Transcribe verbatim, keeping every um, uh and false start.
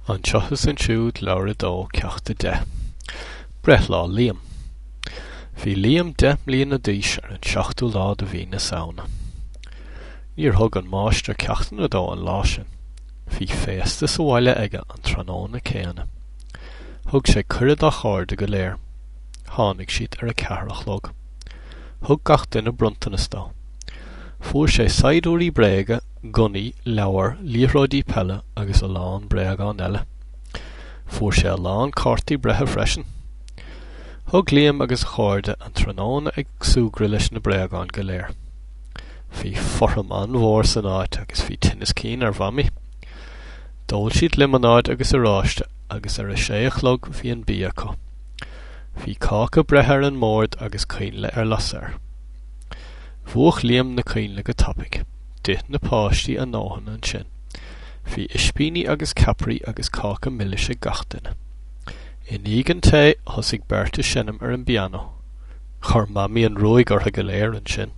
Anseo is ansiúd, leabhar a dó, ceacht a deich. Breithlá Liam. Bhí Liam deich mbliana d'aois ar an seachtú lá de mhí na Samhna. Níor thug an máistir ceachtanna dó an lá sin. Bhí féasta sa bhaile aige an tráthnóna céanna. Thug sé cuireadh dá chairde go léir. Tháinig siad ar a ceathair a chlog. Thug gach duine bronntanas dó. Fuair sé saighdiúirí bréige, gunnaí, leabhair, liathróidí peile agus a lán bréagán eile. Fuair sé a lán cártaí breithe freisin. Thug Liam agus a chairde an tráthnóna ag súgradh leis na bréagáin go léir. Bhí fothram an-mhór san áit agus bhí tinneas cinn ar Mhamaí. D'ól siad liomanáid agus oráiste agus ar a sé a chlog bhí an bia acu. Bhí cáca breithe ar an mbord agus coinnle ar lasadh air. Mhúch Liam na coinnle go tapaidh. D'ith na páistí a ndóthain ansin. Bhí ispíní agus ceapairí agus cáca milis ag gach duine. I ndiaidh an tae, thosaigh beirt ag seinm ar an bpianó. Chuir Mamaí an ruaig orthu go léir ansin.